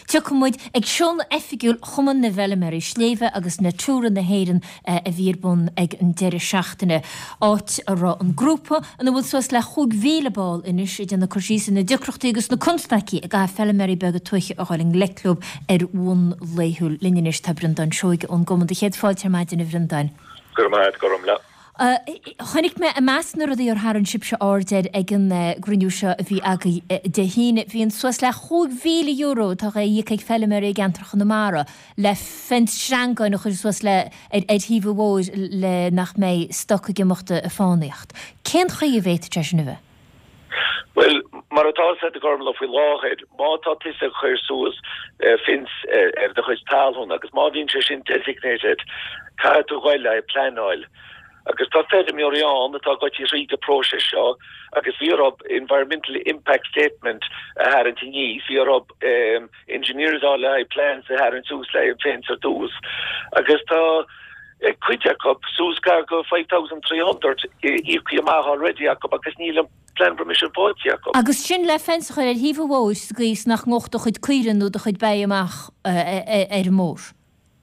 Tiocfaidh muid ag seoladh oifigiúil Chumann na bhFeilméaraí Sléibhe agus Natura na hÉireann a bhí ar bun ag an deireadh seachtaine, áit a raibh an grúpa, ina bhfuil suas le 5,000 ball anois, ag déanamh cur síos ar na deacrachtaí agus na constaicí a gcaithfidh feilméaraí beaga tuaithe a dhul i ngleic leo ar bhonn laethúil. Linn anois tá Breandán Seoige ón gcumann. Do chéad fáilte ar maidin, a Bhreandáin. Go raibh maith agat, Gormfhlaith. Chonaic mé i measc na rudaí ar tharraing sibhse aird air ag an gcruinniú seo a bhí agaibh Dé hAoine, bhí an suas le €5,000 atá á íoc ag feilméaraí i gceantar Chonamara le fence sreangáin a chur suas le ar thaobh an bhóthair le nach mbeidh stoc ag imeacht ag fánaíocht. Cén chaoi a bhféadfadh sé sin a bheith? Bhuel, mar atá a fhios agat a Ghormfhlaith faoi láthair, má tá tusa ag cur suas fence ar do chuid talún agus má bhíonn sé sin designated, caithfidh tú dhul le haghaidh pleanáil. Agus tá feirmeoirí ann atá ag goil thríd an próiseas seo agus bhí orthu environmental impact statement a tharraingt aníos, bhí orthu engineers a fháil le haghaidh plans a tharraingt suas le haghaidh an fence ar dtús. Agus tá cuid acu suas gar go 5,300 íoctha amach already acu agus níl an plan permission faighte acu. Agus sin le fence a chur ar thaobh an bhóthair sa gcaoi is nach ngabhfadh do chuid caoire nó do chuid ba amach ar an mbóthar.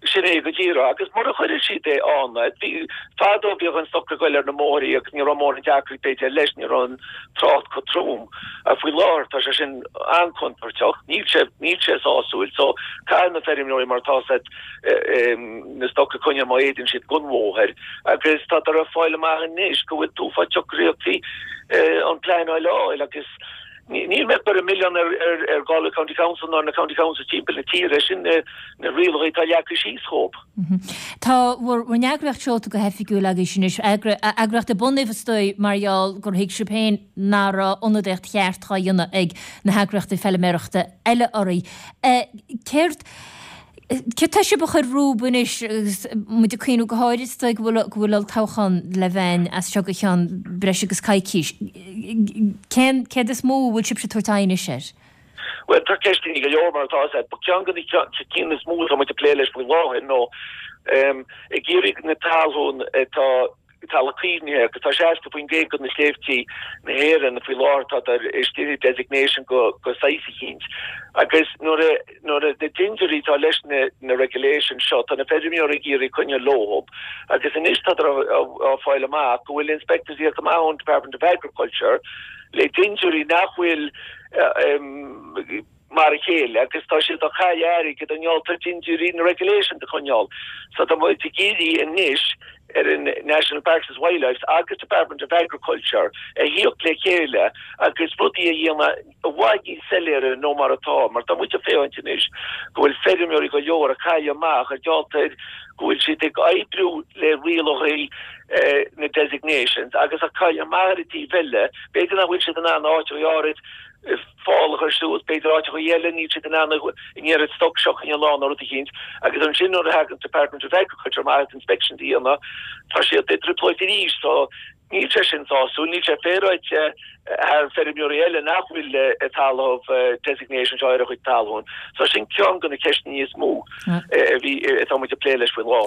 Sin é go díreach. Agus mura chuireann siad é ann, bhí, fadó bhíodh an stoc ag goil ar na mbóithrí agus ní raibh mórán deacracht b'fhéidir leis, ní raibh an trácht chomh trom. Ach faoi láthair tá sé sin an-chontúirteach, níl sé, níl sé sásúil. So caithfidh na feirmeoirí mar atá a fhios agat na stoc a choinneáil má fhéadann siad gon bhóthar. Agus tádar ag fáil amach anois go bhfuil an-chuid deacrachtaí an pleanáil a fháil agus, Níl mé ag cur an milleán ar Galway County Council ná ar na County Councils timpeall na tíre, sin na rialacha atá leagtha síos dhóibh. Tá bhur n-eagraíocht seolta go hoifigiúil agaibhse anois, eagraíocht a bunaíodh is dóigh mar gheall gur thuig sibh féin nach raibh ionadaíocht cheart dhá dhéanamh ag na heagraíochtaí feilméarachta eile oraibh. Céard. Céard tá sibh a chur rompu anois agus muid ag cuimhniú go háirid is dóigh go bhfuil go bhfuil olltoghchán le bheith as seo go ceann breis agus coicís. Cén céard is mó a bhfuil sibhse ag tabhairt aghaidh anois air? Bhuel tá ceisteanna go leor mar atá a fhios agat. But ceann de na cinn is mó atá muid ag plé leis faoi láthair nó ag iarraidh na talún atá talamh caomhnaithe agus tá 60% de na sléibhtí na hÉireann faoi láthair tá istigh i designation go saghas eicínt agus nuair a nuair a na dintiúirí atá leis na na regulations seo tá na feirmeoirí ag iarraidh coinneáil leo agus anois tádar á fáil amach go bhfuil inspectors ag tíocht amach ón Department of Agriculture le dintiúirí nach bhfuil mar a chéile agus tá siad ag cailleadh airgid i ngeall ar dintiúirí na regulations a choinneáil. So tá muid ag iarraidh anois ar an National Parks and Wildlife agus Department of Agriculture a thíocht le chéile agus rudaí a dhéanamh i bhfad níos soiléire nó mar atá mar tá muid ag féachaint anois go bhfuil feirmeoirí go leor ag cailleadh amach ar gheall ar go bhfuil siad ag oibriú le rialacha na designations agus ag cailleadh amach ar an taobh eile b'fhéidir nach bhfuil siad in ann áit áirid fál a chur suas, b'fhéidir áiteacha eile, níl siad in ann an oiread stoc seo a choinneáil ann nó rud eicínt, agus ansin nuair a thagann Department of Agriculture amach agus inspections a dhéanamh, tá siad i dtrioblóid arís, so níl sé sin sásúil, níl sé féaráilte thar feirmeoirí eile nach bhfuil talamh designation seo ar a gcuid talún. So sin ceann de na ceisteanna is mó a bhí, atá muid ag plé leis faoi láthair.